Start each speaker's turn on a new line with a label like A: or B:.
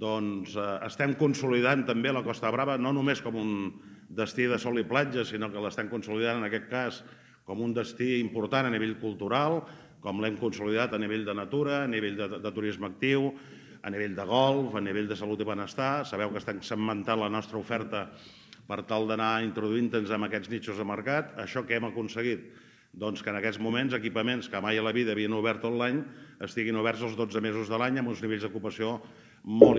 A: doncs estem consolidant també la Costa Brava, no només com un destí de sol i platja, sinó que l'estem consolidant en aquest cas com un destí important a nivell cultural, com l'hem consolidat a nivell de natura, a nivell de turisme actiu, a nivell de golf, a nivell de salut i benestar. Sabeu que estem segmentant la nostra oferta per tal d'anar introduint-nos en aquests nichos de mercat. Això que hem aconseguit? Doncs que en aquests moments equipaments que mai a la vida havien obert tot l'any estiguin oberts els 12 mesos de l'any amb uns nivells d'ocupació molt importants.